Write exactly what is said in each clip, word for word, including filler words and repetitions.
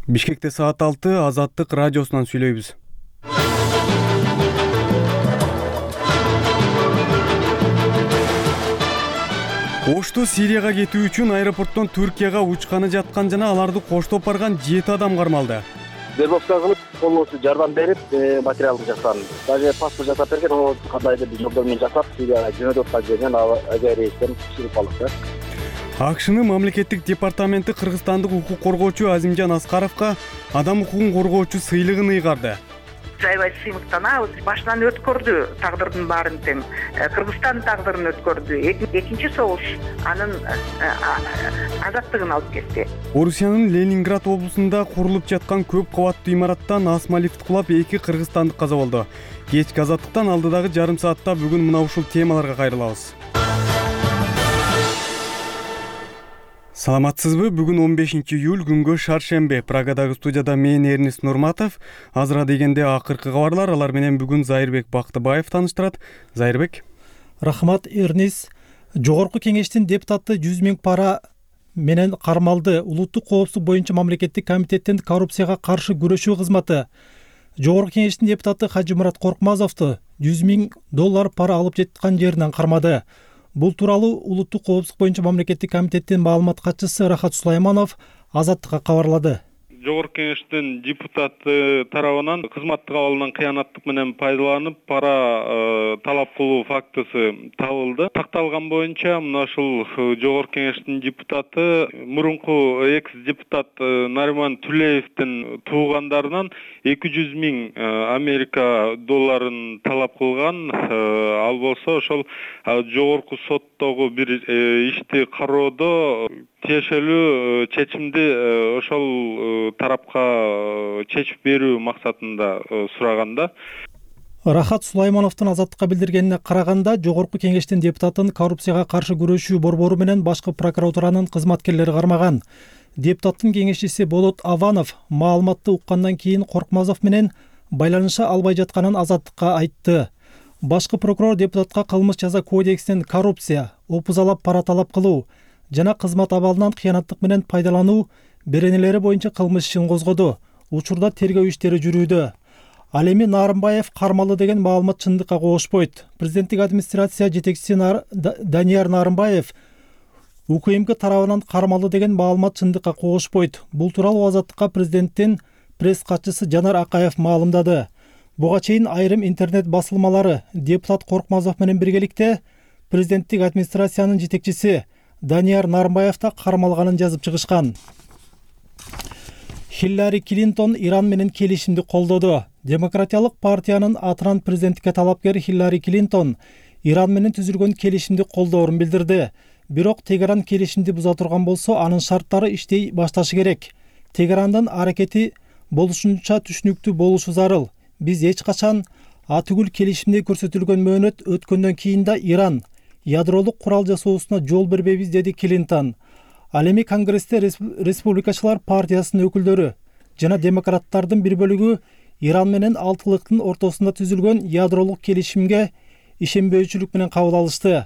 Бишкекте саат алты Азаттык радиосунан сүйлөйбүз. Ошту Сирияга кетүү үчүн аэропорттон Түркияга учканы жаткан жана аларды коштоп барган жети адам кармалды. Вербовка кылып, колубузга жардам берип, материалды жасаган. Даже паспорт жасап берген, ал кандайдыр бир жолдор менен жасап, Сирияга жөнөтүп аткан жерден авиа рейстен чыгып алдык. АКШнын мамлекеттик департаменти кыргызстандык укук коргоочу Азимжан Аскаровго адам укугун коргоочу сыйлыгын ыйгарды. Жайбай сыймыктанабыз. Башынан өткөрдү тагдырдын баарын тең. Кыргызстандын тагдырын өткөрдү. Экинчи согуш анын азаттыгын алып кетти. Орусиянын Ленинград облусунда курулуп жаткан көп кабаттуу имараттан асма лифт кулап эки кыргызстандык каза болду. Кечки азаттыктан алдыдагы жарым саатта бүгүн мына ушул темаларга кайрылабыз. Саламатсызбы? Бүгүн он бешинчи июль күнгө шаршембе. Прагадагы студияда мен Эрнис Нурматов. Азыра дегенде акыркы кабарлар, алар менен бүгүн Зайырбек Бактыбаев тааныштырат. Зайырбек. Рахмат, Эрнис. Жогорку кеңештин депутаты жүз миң пара менен кармалды. Улуттук коопсуздук боюнча мамлекеттик комитеттин коррупцияга каршы күрөшүү кызматы Жогорку кеңештин депутаты Хажымурат Коркмазовду жүз миң доллар пара алып жаткан жеринен кармады. Бул тууралуу Улуттук коопсуздук боюнча мамлекеттик комитеттин маалымат катчысы Рахат Сулайманов Азаттыкка кабарлады. Жогорку кеңештин депутаты тарабынан кызматтык абалынан кыянаттык менен пайдаланып пара талап кылуу фактысы табылды. Такталган боюнча мына ушул Жогорку кеңештин депутаты мурунку экс депутат Нариман Түлеевдин туугандарынан эки жүз миң Америка долларын талап кылган. Ал болсо ошол жогорку соттогу бир ишти кароодо тиешелүү чечимди ошол тарапка чечип берүү максатында сураганда. Рахат Сулаймановдун Азаттыкка билдиргенине караганда, Жогорку кеңештин депутатын коррупцияга каршы күрөшүү борбору менен башкы прокуратуранын кызматкерлери кармаган. Депутаттын кеңешчиси Болот Аванов маалыматты уккандан кийин Коркмазов менен байланыша албай жатканын Азаттыкка айтты. Башкы прокурор депутатка кылмыш жаза кодексинин коррупция, опузалап пара талап кылуу жана кызмат абалынан кыянаттык менен пайдалануу беренелери боюнча кылмыш ишин козгоду. Учурда тергөө иштери жүрүүдө. Ал эми Нарымбаев кармалды деген маалымат чындыкка коошпойт. Президенттик администрация жетекчиси Данияр Нарымбаев УКМК тарабынан кармалды деген маалымат чындыкка коошпойт. Бул тууралуу Азаттыкка президенттин пресс катчысы Жанар Акаев маалымдады. Буга чейин айрым интернет басылмалары депутат Коркмазов менен биргеликте президенттик администрациянын жетекчиси Данияр Нарымбаев да кармалганын жазып чыгышкан. Хиллари Клинтон Иран менен келишимди колдоду. Демократиялык партиянын атынан президенттикке талапкер Хиллари Клинтон Иран менен түзүлгөн келишимди колдоорун билдирди. Бирок Тегеран келишимди буза турган болсо, анын шарттары иштей башташы керек. Тегерандын аракети болушунча түшүнүктүү болушу зарыл. Биз эч качан атүгүл келишимде көрсөтүлгөн мөөнөт өткөндөн кийин да Иран ядролук курал жасоосуна жол бербейбиз, деди Клинтон. Ал эми Конгрессте Республикачылар партиясынын өкүлдөрү жана демократтардын бир бөлүгү Иран менен алтылыктын ортосунда түзүлгөн ядролук келишимге ишенбөөчүлүк менен кабыл алышты.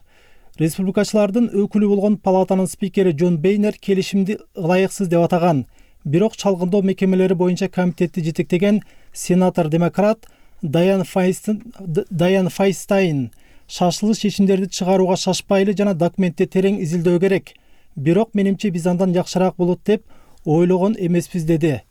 Республикачылардын өкүлү болгон палатанын спикери Джон Бейнер келишимди ылайыксыз деп атаган. Бирок чалгындоо мекемелери боюнча комитетти жетектеген сенатор-демократ Дайан Файнстайн шашылыш чечимдерди чыгарууга шашпайлы жана документти терең изилдөө керек. Бирок менимче биз андан жакшыраак болот деп ойлогон эмеспиз, деди.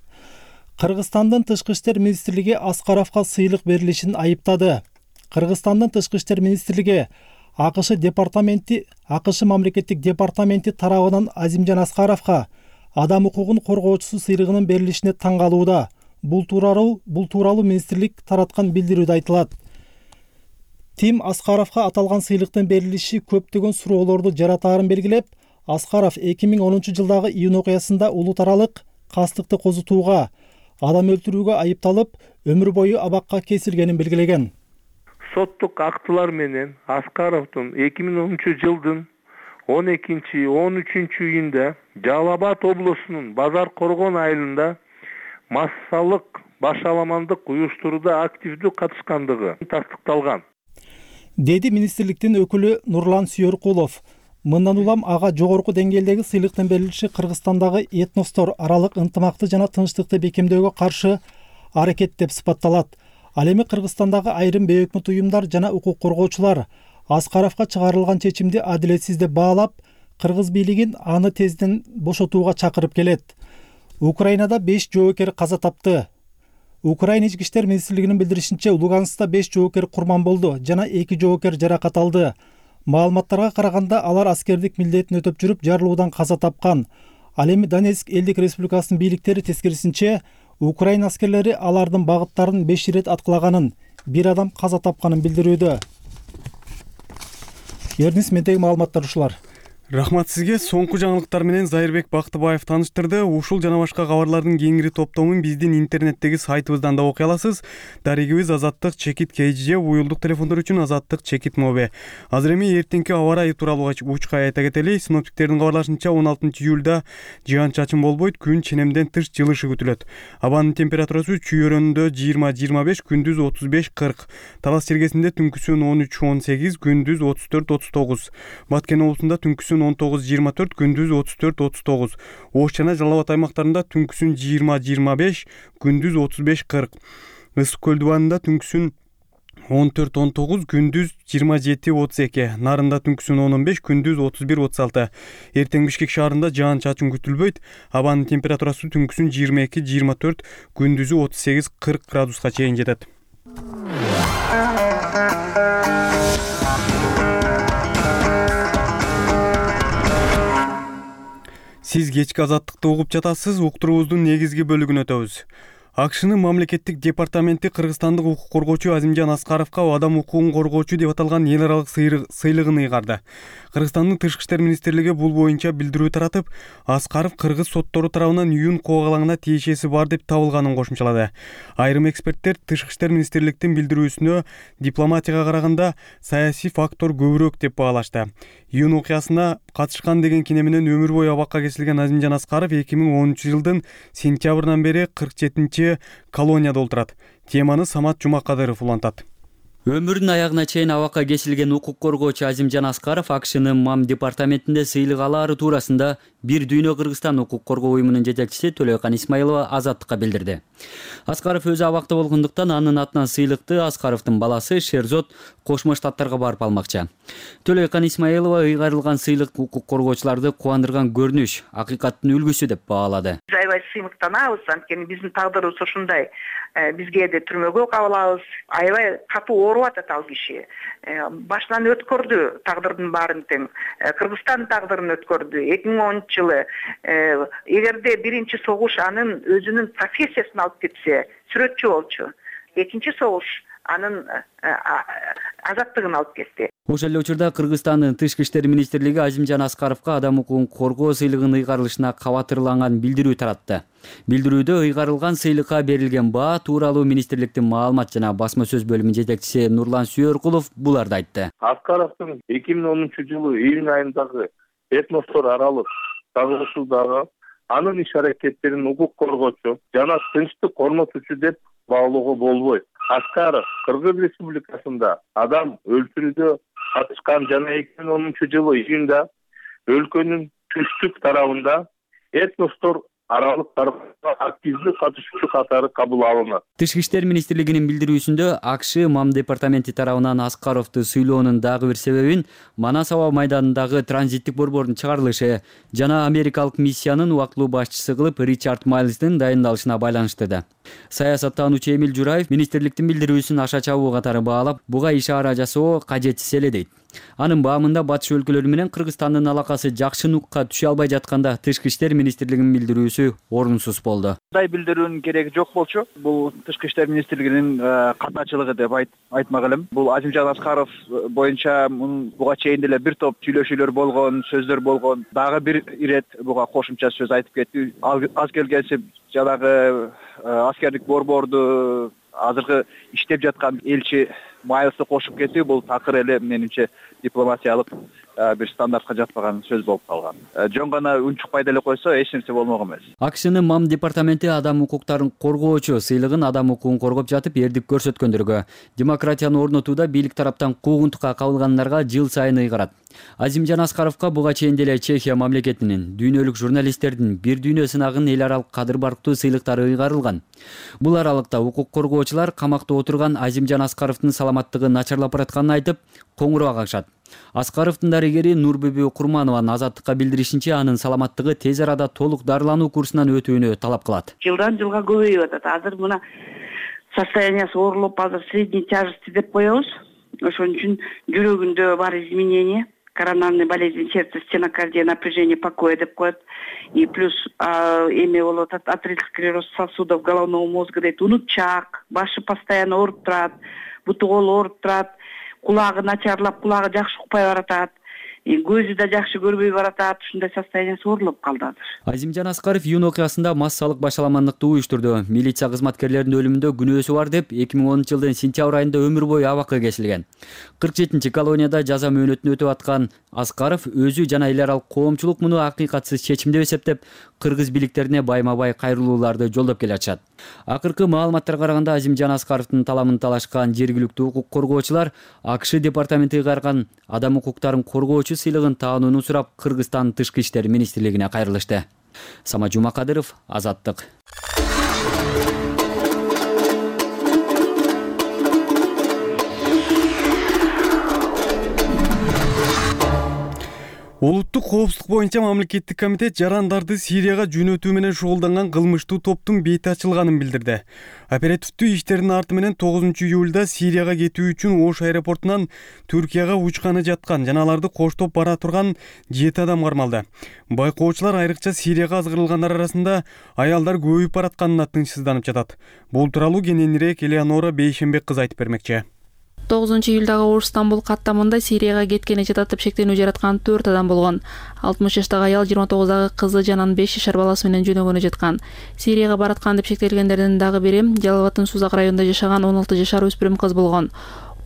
Кыргызстандын тышкы иштер министрлиги Аскаровго сыйлык берилишин айыптады. Кыргызстандын тышкы иштер министрлиги АКШ департаменти, АКШ мамлекеттик департаменти тарабынан Азимжан Аскаровго адам укугун коргоочусу сыйлыгынын берилишине таң калууда. Бул тууралуу бул тууралуу министрлик тараткан билдирүүдө айтылат. Тим Аскаровго аталган сыйлыктын берилиши көптөгөн суроолорду жаратаарын белгилеп, Аскаров эки миң онунчу жылдагы июнь окуясында улут аралык кастыкты козутууга, адам өлтүрүүгө айыпталып, өмүр бою абакка кесилгенин белгилеген. Соттук актылар менен Аскаровдун эки миң онунчу жылдын он экинчи он үчүнчү июнда Жалал Абад облусунун Базар Коргон айылында массалык башаламандык уюштурууда активдүү катышкандыгы тастыкталган, деди министрликтин өкүлү Нурлан Сүйөркулов. Мындан улам ага жогорку деңгээлдеги сыйлыктын берилиши Кыргызстандагы этностор аралык ынтымакты жана тынчтыкты бекемдөөгө каршы аракет деп сыпатталат. Ал эми Кыргызстандагы айрым бейөкмөт уюмдар жана укук коргоочулар Аскаровго чыгарылган чечимди адилетсиз деп баалап, кыргыз бийлигин аны тезден бошотууга чакырып келет. Украинада беш жоокер каза тапты. Украина ички иштер министрлигинин билдиришинче, Луганскта беш жоокер курман болду жана эки жоокер жаракат алды. Маалыматтарга караганда алар аскердик милдетин өтөп жүрүп жарылуудан каза тапкан. Ал эми Донецк элдик республикасынын бийликтери тескерисинче, Украина аскерлери алардын багыттарын беш ирет аткылаганын, бир адам каза тапканын билдирүүдө. Эрнис, мендеги маалыматтар ушулар. Рахмат сизге. Соңку жаңылыктар менен Зайырбек Бактыбаев тааныштырды. Ушул жана башка кабарлардын кеңири топтомун биздин интернеттеги сайтыбыздан да окуй аласыз. Дарегибиз Азаттык чекит kg, уюлдук телефондор үчүн Азаттык чекит моби. Азыр эми эртеңки аба ырайы тууралуу учка айта кетели. Синоптиктердин кабарлашынча он алтынчы июлда жыган-чачын болбойт, күн ченемден тыш жылышы күтүлөт. Абанын температурасы чүйөрөндө жыйырма жыйырма беш, күндүз отуз беш кырк. Талас чергесинде түнкүсүн он үч он сегиз, күндүз отуз төрт отуз тогуз. Баткен облусунда түнкүсүн он тогуз жыйырма төрт, күндүз отуз төрт отуз тогуз. Ош жана Жалал Абад аймактарында түнкүсүн жыйырма жыйырма беш, күндүз отуз беш кырк. Ысык көл дубанында түнкүсүн он төрт он тогуз, күндүз жыйырма жети отуз эки. Нарында түнкүсүн он он беш, күндүз отуз бир отуз алты. Эртең Бишкек шаарында жаан-чачын күтүлбөйт. Абанын температурасы түнкүсүн жыйырма эки жыйырма төрт, күндүзү отуз сегиз кырк градуска чейин жетет. Сиз кечки Азаттыкты угуп жатасыз. Уктуруубуздун негизги бөлүгүнө өтөбүз. АКШнын мамлекеттик департаменти кыргызстандык укук коргоочу Азимжан Аскаровго адам укугун коргоочу деп аталган эл аралык сыйлыгын ыйгарды. Кыргызстандын Тышкы иштер министрлиги бул боюнча билдирүү таратып, Аскаров кыргыз соттору тарабынан июнь коогалаңына тиешеси бар деп табылганын кошумчалады. Айрым эксперттер Тышкы иштер министрликтин билдирүүсүнө дипломатияга караганда саясий фактор көбүрөөк деп баалашты. Июнь окуясына катышкан деген кине менен өмүр бою абакка кесилген Азимжан Аскаров эки миң онунчу жылдын сентябрынан бери кырк жетинчи колонияда отурат. Теманы Самат Жумакадыров улантат. Өмүрүнүн аягына чейин абакка кесилген укук коргоочу Азимжан Аскаров АКШнын МАМ департаментинде сыйлык алаары туурасында Бир дүйнө Кыргызстан укук коргоо уюмунун жетекчиси Төлөкан Исмаилова Азаттыкка билдирди. Аскаров өзү абакта болгондуктан анын атынан сыйлыкты Аскаровдун баласы Шерзот Кошмо Штаттарга барып алмакчы. Төлөкан Исмаилова ыйгарылган сыйлык укук коргоочуларды кубандырган көрүнүш, акыйкаттын үлгүсү деп баалады. Аябай сыймыктанабыз, анткени биздин тагдырыбыз ушундай. Бизге де түрмөгө кабылабыз. Аябай катуу ооруп атат ал киши. Башынан өткөрдү тагдырдын баарын тең. Кыргызстан тагдырын өткөрдү. эки миң онунчу жылы эгерде биринчи согуш анын өзүнүн профессиясын алып кетсе, сүрөтчү болчу. Экинчи согуш анын азаттыгын алып кетти. Ошол эле учурда Кыргызстандын Тышкы иштер министрлиги Азимжан Аскаровго адам укугун коргоо сыйлыгын ыйгарылышына кабатырланган билдирүү таратты. Билдирүүдө ыйгарылган сыйлыкка берилген баа тууралуу министрликтин маалымат жана басма сөз бөлүмүнүн жетекчиси Нурлан Сүйөркулов буларды айтты. Аскаровдун эки миң онунчу жылы июнь айындагы этностор аралык чагылышуудагы анын иш аракеттерин укук коргоочу жана тынчтык орнотуучу деп баалоого болбойт. Аскаров Кыргыз Республикасында адам өлтүрүүдө катышкан жана эки миң онунчу жылы июнда өлкөнүн түштүк тарабында этностор аралык активдүү катышуучу катары кабыл алынат. Тышкы иштер министрлигинин билдирүүсүндө АКШ МАМ департаменти тарабынан Аскаровду сыйлоонун дагы бир себебин Манас аба майданындагы транзиттик борбордун чыгарылышы жана америкалык миссиянын убактылуу башчысы кылып Ричард Майлздын дайындалышына байланыштырды. Саясаттануучу Эмил Жураев министрликтин билдирүүсүн аша чабуу катары баалап, буга ишара жасоо кажетсиз эле дейт. Анын баамында батыш өлкөлөрү менен Кыргызстандын алакасы жакшы нукка түшө албай жатканда Тышкы иштер министрлигинин билдирүүсү орунсуз болду. Мындай билдирүүнүн кереги жок болчу. Бул Тышкы иштер министрлигинин катначылыгы деп айтмак элем. Бул Азимжан Аскаров боюнча буга чейин деле бир топ сүйлөшүүлөр болгон, сөздөр болгон. Дагы бир ирет буга кошумча сөз айтып кетти. Аз келгенсе жанагы аскердик борборду азыркы иштеп жаткан элчи Майлсты кошуп кетүү бул такыр эле менимче дипломатиялык бир стандартка жатпаган сөз болуп калган. Жөн гана унчукпай деле койсо эч нерсе болмок эмес. АКШнын МАМ департаменти адам укуктарын коргоочу сыйлыгын адам укугун коргоп жатып эрдик көрсөткөндөргө, демократияны орнотууда бийлик тараптан куугунтукка кабылгандарга жыл сайын ыйгарат. Азимжан Аскаровго буга чейин деле Чехия мамлекетинин дүйнөлүк журналисттердин бир дүйнө сынагынын эл аралык кадыр барктуу сыйлыктары ыйгарылган. Бул аралыкта укук коргоочулар камакта отурган Азимжан Аскаровдун саламаттыгы начарлап баратканын айтып, коңгуроо кагышат. Аскаровдун дарыгери Нурбүбү Курманованын Азаттыкка билдиришинче, анын саламаттыгы тез арада толук дарылануу курсунан өтүүнү талап кылат. Жылдан жылга көбөйүп атат. Азыр мына состояниясы оорулуп, азыр средней тяжести деп коебуз. Ошон үчүн жүрөгүндө бар изменение, коронарный болезнь сердца, стенокардия, напряжение покоя деп коет. И плюс эме болуп атат, артериальный склероз сосудов головного мозга дейт, унутчак, башы постоянно ооруп турат, буту колу ооруп турат, кулагы начарлап, кулагы жакшы укпай баратат. Көзү да жакшы көрбөй баратат, ушундай состояниясы оорулуп калды азыр. Азимжан Аскаров июнь окуясында массалык башаламандыкты уюштурду. Милиция кызматкерлеринин өлүмүндө күнөөсү бар деп эки миң онунчу жылдын сентябрь айында өмүр бою абакка кесилген. кырк жетинчи колонияда жаза мөөнөтүн өтүп аткан Аскаров өзү жана эл аралык коомчулук муну акыйкатсыз чечим деп эсептеп, кыргыз бийликтерине байма-бай кайрылууларды жолдоп келе атышат. Акыркы маалыматтарга караганда Азимжан Аскаровдун таламын талашкан жергиликтүү укук коргоочулар АКШ департаменти ыйгарган адам укуктарын коргоочу сыйлыгын таанууну сурап Кыргызстан Тышкы иштер министрлигине кайрылышты. Сама Жумакадыров, Азаттык. Улуттук коопсуздук боюнча мамлекеттик комитет жарандарды Сирияга жөнөтүү менен шугулданган кылмыштуу топтун бети ачылганын билдирди. Оперативдүү иштердин арты менен тогузунчу июлда Сирияга кетүү үчүн Ош аэропортунан Түркияга учканы жаткан жана аларды коштоп бара турган жети адам кармалды. Байкоочулар айрыкча Сирияга азгырылгандар арасында аялдар көбөйүп баратканына тынчсызданып жатат. Бул тууралуу кененирээк Элеонора Бейшенбек кыз айтып бермекчи. тогузунчу июлдагы Ош Стамбул каттамында Сирияга кеткени жататып шектенүү жараткан төрт адам болгон. алтымыш жаштагы аял жыйырма тогуздагы кызы жана беш жашар баласы менен жөнөгөнү жаткан. Сирияга бараткан деп шектелгендердин дагы бири Жалал абаддын Сузак районунда жашаган он алты жашар өспүрүм кыз болгон.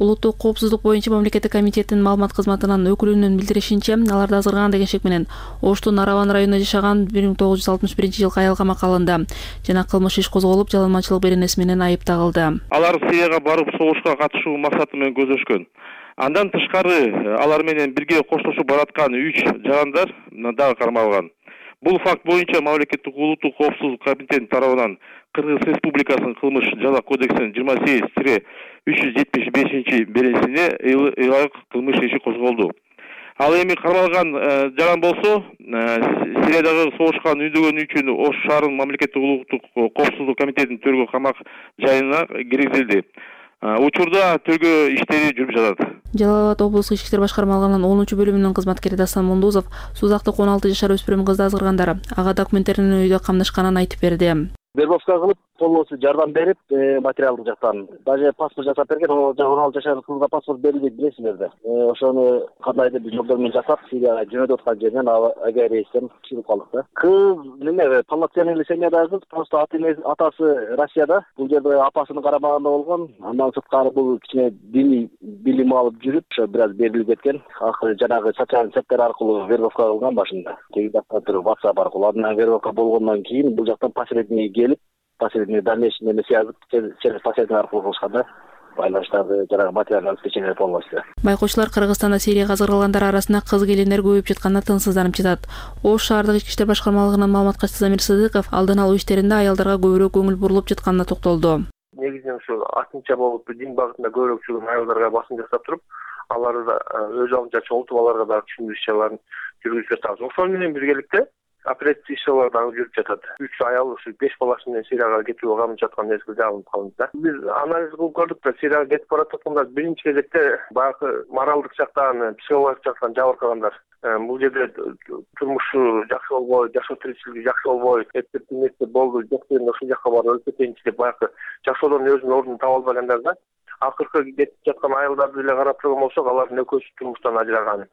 Улуттук коопсуздук боюнча мамлекеттик комитеттин маалымат кызматынын өкүлүнүн билдиришинче, аларды азгырган деген шек менен Оштун Араван районунда жашаган бир миң тогуз жүз алтымыш биринчи жылкы аял камакка алынды жана кылмыш иш козголуп, жаланманчылык беренеси менен айып тагылды. Алар Сирияга барып согушка катышуу максаты менен көздөшкөн. Андан тышкары алар менен бирге коштошуп бараткан үч жарандар дагы кармалган. Бул факт боюнча мамлекеттик улуттук коопсуздук комитети тарабынан Кыргыз Республикасынын кылмыш жаза кодексинин жыйырма сегиз үч жүз жетимиш бешинчи беренесине ылайык кылмыш иши козголду. Ал эми кармалган жаран болсо Сириядагы согушка үндөгөнү үчүн Ош шаарынын мамлекеттик улуттук коопсуздук комитетинин төргө камак жайына киргизилди. Учурда төргө иштери жүрүп жатат. Жалал абад облустук ички иштер башкармалыгынын онунчу бөлүмүнүн кызматкери Дастан Мундузов Сузактык он алты жашар өспүрүм кызды азгыргандар ага документтерин үйдө камдашканын айтып берди. Вербовка кылып, колдоосу жардам берип, материалдык жактан даже паспорт жасап берген, он алты жашар кызга паспорт берилбейт билесиңерди. Ошону кандайдыр бир жолдор менен жасап, Сирияга жөнөтүп аткан жеринен авиарейстен чыгып калдык да. Кыз неме полноценный семьядагы кыз, просто атасы Россияда, бул жерде апасынын карамагында болгон. Андан сырткары бул кичине диний билим алып жүрүп, ошо бир аз берилип кеткен. Акыры жанагы социалдык сеттер аркылуу вербовка кылган башында. Теги жакта туруп WhatsApp аркылуу андан вербовка болгондон кийин бул жактан посредник келип, посредник дальнейший неме связь через посредник аркылуу кылышканда байланыштарды жанагы материалдык обеспечение полностью. Байкоочулар Кыргызстанда Сирияга азгырылгандар арасында кыз келиндер көбөйүп жатканына тынчсызданып жатат. Ош шаардык ички иштер башкармалыгынын маалыматкачысы Замир Сыдыков алдын алуу иштеринде аялдарга көбүрөөк көңүл бурулуп жатканына токтолду. Негизинен ушу артынча болуп дин багытында көбүрөөк жүргөн аялдарга басым жасап туруп, аларды да өз алдынча чогултуп аларга да түшүндүрүү иш-чараларын жүргүзүп жатабыз. Ошол менен биргеликте оперативдик иш-чаралар дагы жүрүп жатат. Үч аял ушу беш баласы менен Сирияга кетүүгө камып жаткан мезгилде алынып калды да. Биз анализ кылып көрдүк да, Сирияга кетип бараткандар биринчи кезекте баягы моралдык жактан, психологик жактан жабыркагандар. Бул жерде турмушу жакшы болбой, жашоо тиричилиги жакшы болбой, эптеп болду, жок дегенде ушул жакка барып өлүп кетейинчи деп баягы жашоодон өзүнүн ордун таба албагандар да. Акыркы кетип жаткан аялдарды эле карап турган болсок, алардын экөөсү турмуштан ажыраган.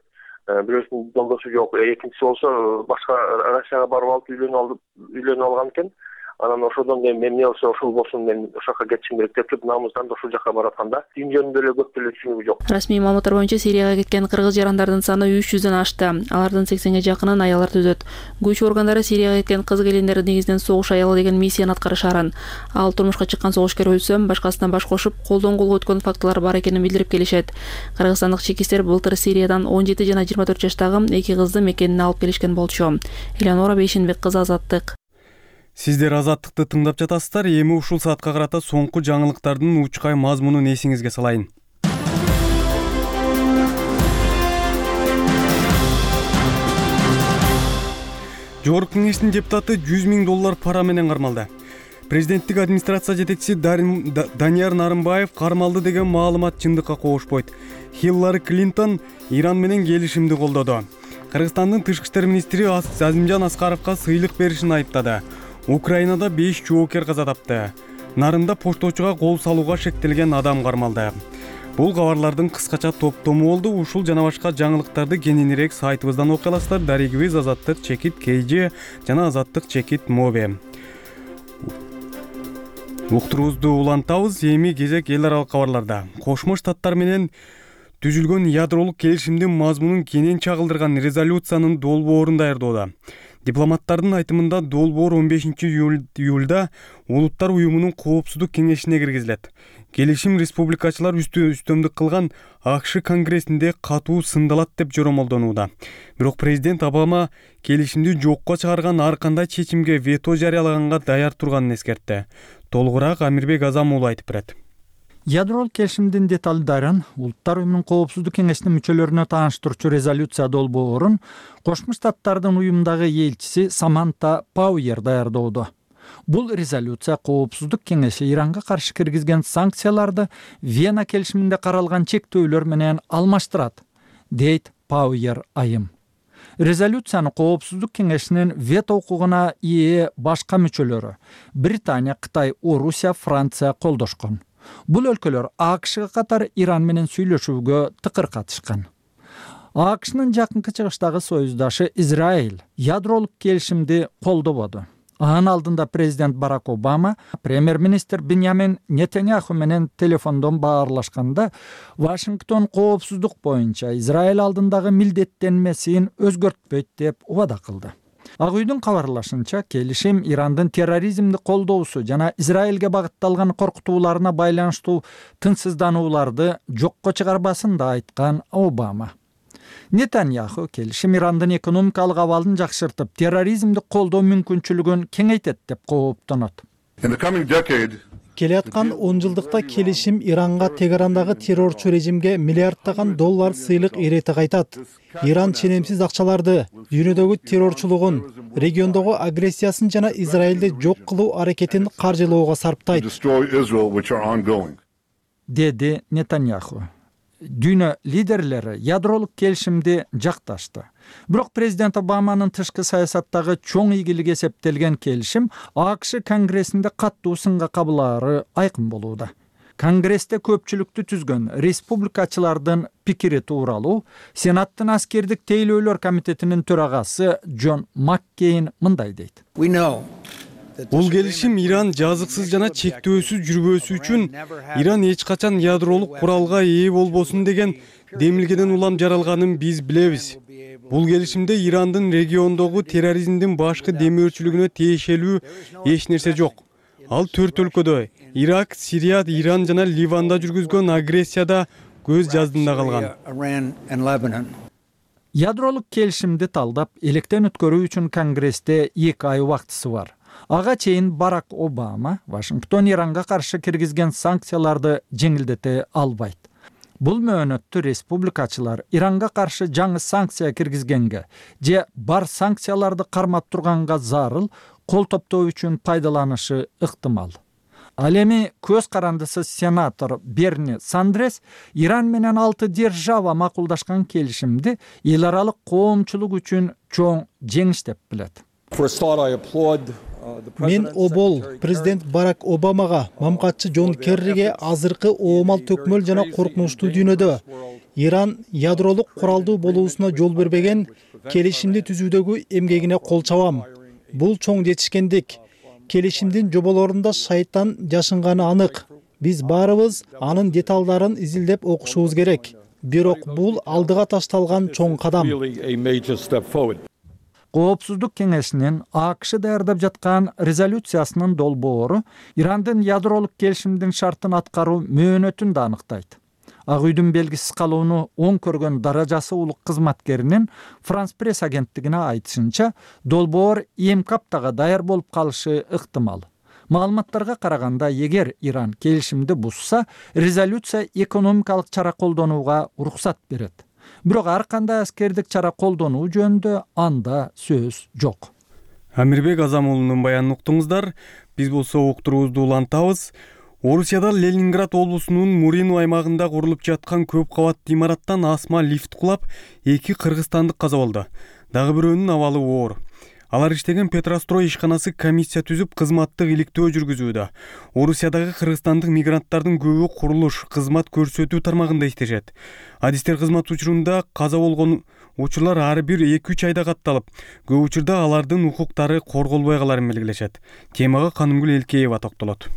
Бирөөсүнүн жолдошу жок, экинчиси болсо башка Россияга барып алып үйлөнүп алып, үйлөнүп алган экен. анан ошодон кийин мен эмне болсо ошол болсун, мен ошол жака кетишим керек деп туруп намыздан ошол жака баратканда дин жөнүндө эле көп деле түшүнүгү жок. Расмий маалыматтар боюнча Сирияга кеткен кыргыз жарандардын саны үч жүздөн ашты. Алардын сексенге жакынын аялдар түзөт. Күч органдары Сирияга кеткен кыз келиндер негизинен согуш аялы деген миссияны аткарышарын, ал турмушка чыккан согушкер өлсө башкасынан баш кошуп колдон колго өткөн фактылар бар экенин билдирип келишет. Кыргызстандык чекистер былтыр Сириядан он жети жана жыйырма төрт жаштагы эки кызды мекенине алып келишкен болчу. Элеонора Бейшенбек кызы, Азаттык. Сиздер Азаттыкты тыңдап жатасыздар. Эми ушул саатка карата соңку жаңылыктардын учкай мазмунун эсиңизге салайын. Жогорку кеңештин депутаты жүз миң доллар пара менен кармалды. Президенттик администрация жетекчиси Данияр Нарымбаев кармалды деген маалымат чындыкка кошпойт. Хиллари Клинтон Иран менен келишимди колдоду. Кыргызстандын тышкы иштер министри Азимжан Аскаровго сыйлык беришин айыптады. Украинада беш жоокер каза тапты. Нарында пошточуга кол салууга шектелген адам кармалды. Бул кабарлардын кыскача топтому болду. Ушул жана башка жаңылыктарды кененирээк сайтыбыздан окуй аласыздар. Дарегибиз Азаттык чекит кей же жана Азаттык чекит моби. Уктуруубузду улантабыз. Эми кезек эл аралык кабарларда. Кошмо Штаттар менен түзүлгөн ядролук келишимдин мазмунун кенен чагылдырган резолюциянын долбоорун даярдоодо. Дипломаттардын айтымында долбоор он бешинчи июлда Улуттар уюмунун коопсуздук кеңешине киргизилет. Келишим республикачылар үстөмдүк кылган АКШ конгрессинде катуу сындалат деп жоромолдонууда. Бирок президент Обама келишимди жокко чыгарган ар кандай чечимге вето жарыялаганга даяр турганын эскертти. Толугураак Амирбек Азам уулу айтып берет. Ядролук келишимдин деталдарын Улуттар уюмунун коопсуздук кеңешинин мүчөлөрүнө тааныштыруучу резолюция долбоорун Кошмо Штаттардын уюмдагы элчиси Саманта Пауэр даярдоодо. Бул резолюция коопсуздук кеңеши Иранга каршы киргизген санкцияларды Вена келишиминде каралган чектөөлөр менен алмаштырат, дейт Пауэр айым. Резолюцияны коопсуздук кеңешинин вето укугуна ээ башка мүчөлөрү Британия, Кытай, Орусия, Франция колдошкон. Бул өлкөлөр АКШга катар Иран менен сүйлөшүүгө тыкыр катышкан. АКШнын жакынкы чыгыштагы союздашы Израиль ядролук келишимди колдободу. Анын алдында президент Барак Обама премьер-министр Беньямин Нетаньяху менен телефондон баарлашканда Вашингтон коопсуздук боюнча Израиль алдындагы милдеттенмесин өзгөртпөйт деп убада кылды. Ак үйдүн кабарлашынча, келишим Ирандын терроризмди колдоосу жана Израилге багытталган коркутууларына байланыштуу тынчсызданууларды жокко чыгарбасын да айткан Обама. Нетаньяху келишим Ирандын экономикалык абалын жакшыртып, терроризмди колдоо мүмкүнчүлүгүн кеңейтет деп кооптонот. Келаткан он жылдыкта келишим Иранга Тегерандагы террорчу режимге миллиардтаган доллар сыйлык эрети кайтат. Иран ченемсиз акчаларды, дүйнөдөгү террорчулугун, региондогу агрессиясын жана Израилди жок кылуу аракетин каржылоого сарптайт, деди Нетаньяху. Дүйнө лидерлери ядролук келишимди жакташты. Бирок президент Обаманын тышкы саясаттагы чоң ийгилик эсептелген келишим АКШ конгрессинде каттуу сынга кабылаары айкын болууда. Конгрессте көпчүлүктү түзгөн республикачылардын пикири тууралуу Сенаттын аскердик тейлөөлөр комитетинин төрагасы Джон Маккейн мындай дейт. Бул келишим Иран жазыксыз жана чектөөсүз жүрбөсү үчүн Иран эч качан ядролук куралга ээ болбосун деген демилгеден улам жаралганын биз билебиз. Бул келишимде Ирандын региондогу терроризмдин башкы демөөрчүлүгүнө тиешелүү эч нерсе жок. Ал төрт өлкөдө Ирак, Сирия, Иран жана Ливанда жүргүзгөн агрессияда көз жаздында калган. Ядролук келишимди талдап, электен өткөрүү үчүн Конгрессте эки ай убактысы бар. Ага чейин Барак Обама Вашингтон Иранга каршы киргизген санкцияларды жеңилдете албайт. Бул мөөнөттү республикачылар Иранга каршы жаңы санкция киргизгенге же бар санкцияларды кармап турганга зарыл кол топтоо үчүн пайдаланышы ыктымал. Ал эми көз карандысыз сенатор Берни Сандрес Иран менен алты держава макулдашкан келишимди эл аралык коомчулук үчүн чоң жеңиш деп билет. Мен обол президент Барак Обамага, мамкатчы Джон Керриге азыркы оомал төкмөл жана коркунучтуу дүйнөдө Иран ядролук куралдуу болуусуна жол бербеген келишимди түзүүдөгү эмгегине кол чабам. Бул чоң жетишкендик. келишимдин жоболорунда шайтан жашынганы анык. Биз баарыбыз анын деталдарын изилдеп окушубуз керек. Бирок бул алдыга ташталган чоң кадам. Коопсуздук кеңешинин АКШ даярдап жаткан резолюциясынын долбоору Ирандын ядролук келишимдин шартын аткаруу мөөнөтүн да аныктайт. Ак үйдүн белгисиз калууну оң көргөн даражасы улук кызматкеринин Франс пресс агенттигине айтышынча, долбоор эми аптага даяр болуп калышы ыктымал. Маалыматтарга караганда, эгер Иран келишимди бузса, резолюция экономикалык чара колдонууга уруксат берет. Бирок ар кандай аскердик чара колдонуу жөнүндө анда сөз жок. Амирбек Азамуулунун баянын уктуңуздар. Биз болсо уктуруубузду улантабыз. Орусияда Ленинград облусунун Мурино аймагында курулуп жаткан көп кабаттуу имараттан асма лифт кулап, эки кыргызстандык каза болду. Дагы бирөөнүн абалы оор. Алар иштеген Петрострой ишканасы комиссия түзүп, кызматтык иликтөө жүргүзүүдө. Орусиядагы кыргызстандык мигранттардын көбү курулуш, кызмат көрсөтүү тармагында иштешет. Адистер кызмат учурунда каза болгон учурлар ар бир эки үч айда катталып, көп учурда алардын укуктары корголбой каларын белгилешет. Темага Канымгүл Элкеева токтолот.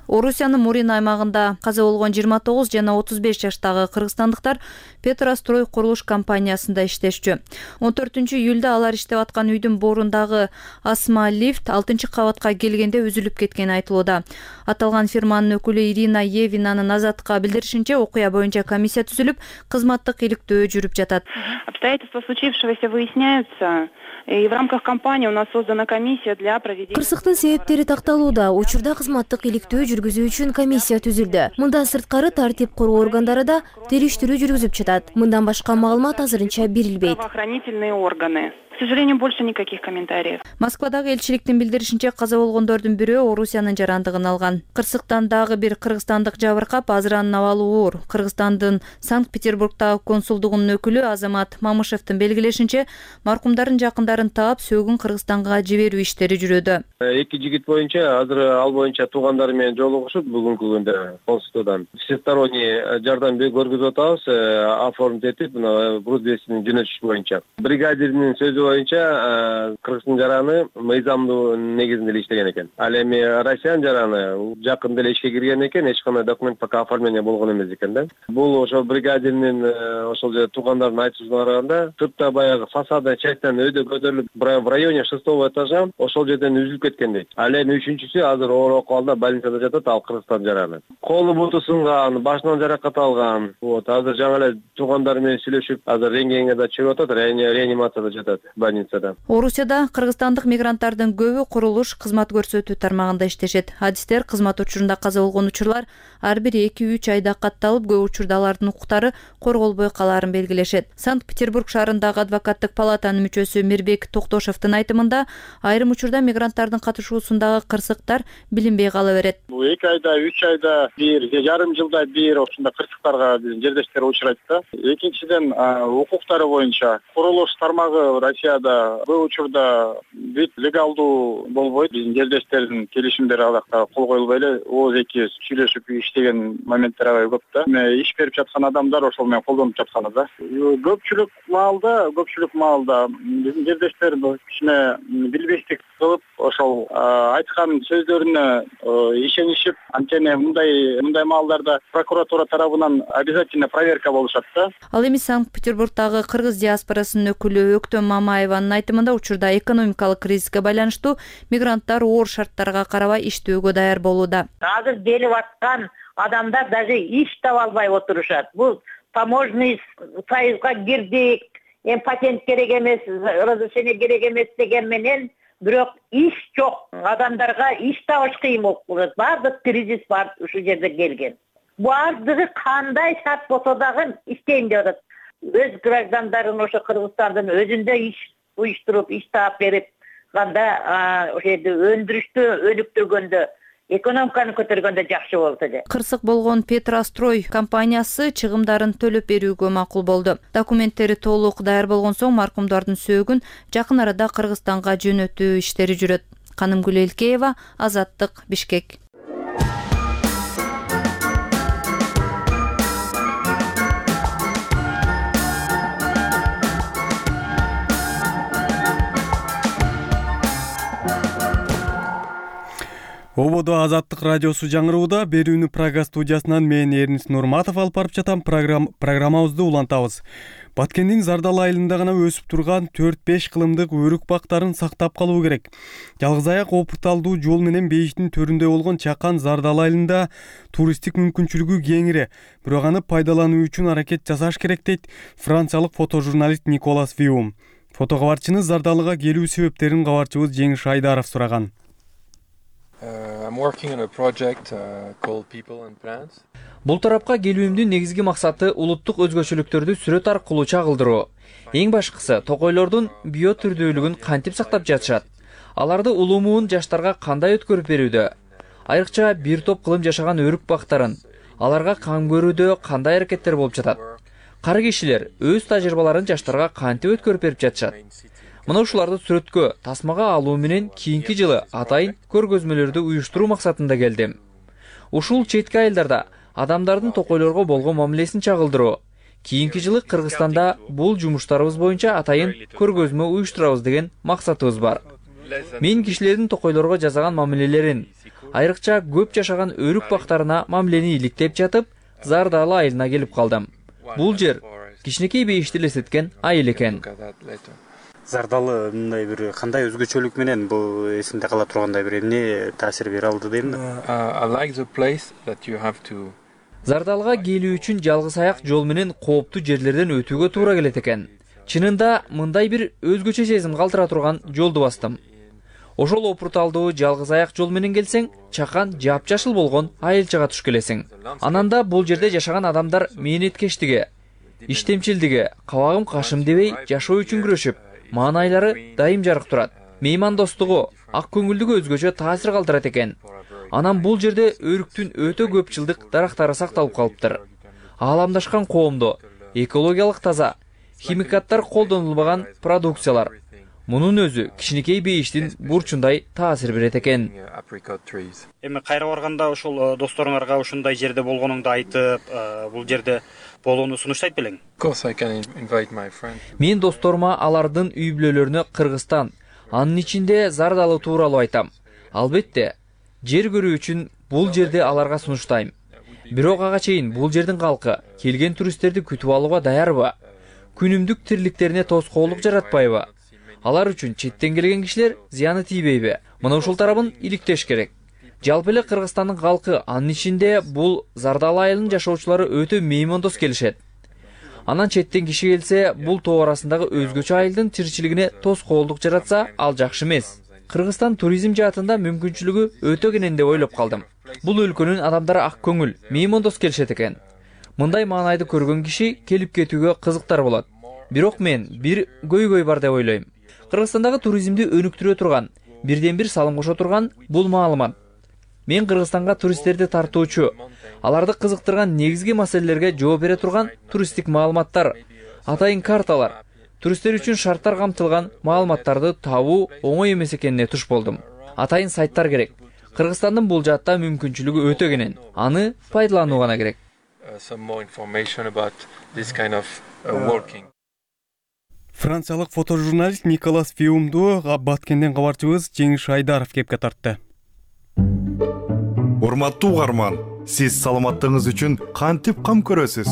Орусиянын Мурин аймагында каза болгон жыйырма тогуз жана отуз беш жаштагы кыргызстандыктар Петрострой курулуш компаниясында иштешчү. он төртүнчү июлда алар иштеп аткан үйдүн борундагы асма лифт алтынчы кабатка келгенде үзүлүп кеткени айтылууда. Аталган фирманын өкүлү Ирина Евинанын Азатка билдиришинче, окуя боюнча комиссия түзүлүп, кызматтык иликтөө жүрүп жатат. Обстоятельства случившегося выясняются. И в рамках кампании у нас создана комиссия для проведения. Кырсыктын себептери такталууда. Учурда кызматтык иликтөө жүргүзүү үчүн комиссия түзүлдү. Мындан сырткары тартип короо органдары да териштирүү жүргүзүп жатат. Мындан башка маалымат азырынча берилбейт. Правоохранительные органы. К сожалению, больше никаких комментариев. Москвадагы элчиликтин билдиришинче, каза болгондордун бирөө Орусиянын жарандыгын алган. Кырсыктан дагы бир кыргызстандык жабыркап, азыр анын абалы оор. Кыргызстандын Санкт-Петербургдагы консулдугунун өкүлү Азамат Мамышевдин белгилешинче, маркумдардын жакындарын таап, сөөгүн Кыргызстанга жиберүү иштери жүрүүдө. Эки жигит боюнча, азыр ал боюнча туугандары менен жолугушуп, бүгүнкү күндө консулдуктан всесторонний жардам көргөзүп атабыз, оформить этип, мына груз весинин жөнөтүш боюнча. Бригадирдин сөзү боюнча Кыргыздын жараны мыйзамдуу негизинде эле иштеген экен. Ал эми Россиянын жараны жакында эле ишке кирген экен, эч кандай документ пока оформление болгон эмес экен да. Бул ошо бригадирдин ошол же туугандардын айтуусуна караганда, сыртта баягы фасадный частьтан өйдө көтөрүлүп, в районе шестого этажа ошол жерден үзүлүп кеткен дейт. Ал эми үчүнчүсү азыр оор акыбалда больницада жатат, ал Кыргызстан жараны. Колу буту сынган, башынан жаракат алган. Вот, азыр жаңы эле туугандары менен сүйлөшүп, азыр рентгенге чыгып атат, реанимацияда жатат. Орусияда кыргызстандык мигранттардын көбү курулуш, кызмат көрсөтүү тармагында иштешет. Адистер кызмат учурунда каза болгон учурлар ар бир эки үч айда катталып, көп учурда алардын укуктары корголбой калаарын белгилешет. Санкт-Петербург шаарындагы адвокаттык палатанын мүчөсү Мирбек Токтошевдин айтымында, айрым учурда мигранттардын катышуусундагы кырсыктар билинбей кала берет. Бул эки айда, үч айда бир, жарым жылда бир ушундай кырсыктарга биздин жердештер учурайт да. Экинчиден, укуктары боюнча курулуш тармагы Россияда бұл учурда бүт легалдуу болбойт. Биздин жердештердин келишимдери алакта кол коюлбай эле ооз эки сүйлөшүп иштеген моменттер аябай көп да. Иш берип жаткан адамдар ошол менен колдонуп жатканы да. Көпчүлүк маалда, көпчүлүк маалда биздин жердештер кичине билбестик кылып, ошол айткан сөздөрүнө ишенишип, анткени мындай мындай маалдарда прокуратура тарабынан обязательно проверка болушат да. Ал эми Санкт-Петербургдагы кыргыз диаспорасынын өкүлү Өктөм Мамаеванын айтымында, учурда экономикалык кризиске байланыштуу мигранттар оор шарттарга карабай иштөөгө даяр болууда. Азыр делип аткан адамдар даже иш таба албай отурушат. Бул таможенный союзга кирдик, эми патент керек эмес, разрешение керек эмес деген менен, бирок иш жок. Адамдарга иш табыш кыйын болуп калат. Баардык кризис бар ушул жерде келген. Баардыгы кандай шарт болсо дагы иштейин деп атат. Өз граждандарын ошо Кыргызстандын өзүндө иш уюштуруп, иш таап берип, канда ошо жерде өндүрүштү өнүктүргөндө, экономиканы көтөргөндө жакшы болот эле. Кырсык болгон Петрострой компаниясы чыгымдарын төлөп берүүгө макул болду. Документтери толук даяр болгон соң маркумдардын сөөгүн жакын арада Кыргызстанга жөнөтүү иштери жүрөт. Канымгүл Элкеева, Азаттык, Бишкек. Ободо Азаттык радиосу жаңырууда. Берүүнү Прага студиясынан мен Эрнис Нурматов алып барып жатам. Программ программабызды улантабыз. Баткендин Зардал айылында гана өсүп турган төрт беш кылымдык өрүк бактарын сактап калуу керек. Жалгыз аяк опурталдуу жол менен бейиштин төрүндө болгон чакан Зардал айылында туристтик мүмкүнчүлүгү кеңири. Бирок аны пайдалануу үчүн аракет жасаш керек дейт франциялык фотожурналист Николас Виум. Фотокабарчыны Зардалыга келүү себептерин кабарчыбыз Жеңиш Айдаров сураган. Бул тарапка келүүмдүн негизги максаты улуттук өзгөчөлүктөрдү сүрөт аркылуу чагылдыруу. Эң башкысы токойлордун био түрдүүлүгүн кантип сактап жатышат, аларды улумуун жаштарга кандай өткөрүп берүүдө, айрыкча бир топ кылым жашаган өрүк бактарын, аларга кам көрүүдө кандай аракеттер болуп жатат. Кары кишилер өз тажрыйбаларын жаштарга кантип өткөрүп берип жатышат. Мына ушуларды сүрөткө тасмага алуу менен кийинки жылы атайын көргөзмөлөрдү уюштуруу максатында келдим. Ушул четки айылдарда адамдардын токойлорго болгон мамилесин чагылдыруу. Кийинки жылы Кыргызстанда бул жумуштарыбыз боюнча атайын көргөзмө уюштурабыз деген максатыбыз бар. Мен кишилердин токойлорго жасаган мамилелерин, айрыкча көп жашаган өрүк бактарына мамилени иликтеп жатып, Зардал айылына келип калдым. Бул жер кичинекей бейишти элестеткен айыл экен. Зардалы мындай бир кандай өзгөчөлүк менен бул эсимде кала тургандай бир эмне таасир бере алды дейм да. Зардалга келүү үчүн жалгыз аяк жол менен кооптуу жерлерден өтүүгө туура келет экен. Чынында мындай бир өзгөчө сезим калтыра турган жолду бастым. Ошол опурталдуу жалгыз аяк жол менен келсең, чакан жапжашыл болгон айылчага туш келесиң. Анан да бул жерде жашаган адамдар мээнеткечтиги, иштемчилдиги, кабагым кашым дебей жашоо үчүн күрөшүп, маанайлары дайым жарык турат. Меймандостугу, ак көңүлдүгү өзгөчө таасир калтырат экен. Анан бул жерде өрүктүн өтө көп жылдык дарактары сакталып калыптыр. Ааламдашкан коомдо, экологиялык таза, химикаттар колдонулбаган продукциялар. Мунун өзү кичинекей бейиштин бурчундай таасир берет экен. Эми кайра барганда ошол досторуңарга ушундай жерде болгонуңду айтып, бул жерде болууну сунуштайт белең? Мен досторума алардын үй бүлөлөрүнө Кыргызстан, анын ичинде Зардалы тууралуу айтам. Албетте, жер көрүү үчүн бул жерде аларга сунуштайм. Бирок ага чейин бул жердин калкы келген туристтерди күтүп алууга даярбы? Күнүмдүк тириликтерине тоскоолдук жаратпайбы? Алар үчүн четтен келген кишилер зыяны тийбейби? Мына ушул тарабын иликтеш керек. Жалпы эле Кыргызстандын калкы, анын ичинде бул Зардал айылынын жашоочулары өтө меймандос келишет. Анан четтен киши келсе, бул топ арасындагы өзгөчө айылдын тиричилигине тоскоолдук жаратса, ал жакшы эмес. Кыргызстан туризм жаатында мүмкүнчүлүгү өтө кенен деп ойлоп калдым. Бул өлкөнүн адамдары ак көңүл, меймандос келишет экен. Мындай маанайды көргөн киши келип кетүүгө кызыктар болот. Бирок мен бир көйгөй бар деп ойлойм. Кыргызстандагы туризмди өнүктүрө турган, бирден бир салым кошо турган бул маалымат. Мен Кыргызстанга туристтерди тартуучу, аларды кызыктырган негизги маселелерге жооп бере турган туристтик маалыматтар, атайын карталар, туристтер үчүн шарттар камтылган маалыматтарды табуу оңой эмес экенине туш болдум. Атайын сайттар керек. Кыргызстандын бул жаатта мүмкүнчүлүгү өтө кенен. Аны пайдалануу гана керек. Франциялык фотожурналист Николас Виумду Баткенден кабарчыбыз Жеңиш Айдаров кепке тартты. Урматтуу угарман, сиз саламаттыгыңыз үчүн кантип кам көрөсүз?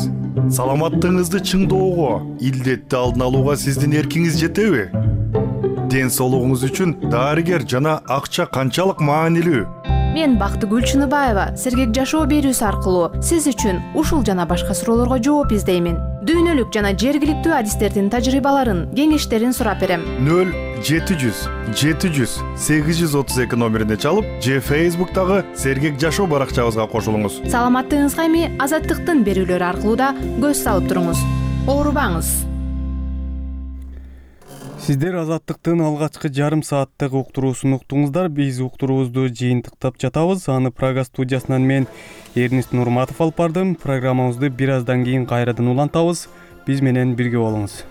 Саламаттыгыңызды чыңдоого, илдетти алдын алууга сиздин эркиңиз жетеби? Ден соолугуңуз үчүн дарыгер жана акча канчалык маанилүү? Мен Бактыгүл Чыныбаева сергек жашоо берүүсү аркылуу сиз үчүн ушул жана башка суроолорго жооп издеймин. Дүйнөлүк жана жергиликтүү адистердин тажрыйбаларын, кеңештерин сурап берем. нөл жети жүз жети жүз сегиз жүз отуз эки номерине чалып, же Facebook'тагы сергек жашоо баракчабызга кошулуңуз. Саламаттыгыңызга эми Азаттыктын берүүлөрү аркылуу да көз салып туруңуз. Оорубаңыз. Сиздер Азаттыктын алгачкы жарым сааттык уктуруусун уктуңуздар. Биз уктуруубузду жыйынтыктап жатабыз. Аны Прага студиясынан мен Эрнис Нурматов алып бардым. Программабызды бир аздан кийин кайрадан улантабыз. Биз менен бирге болуңуз.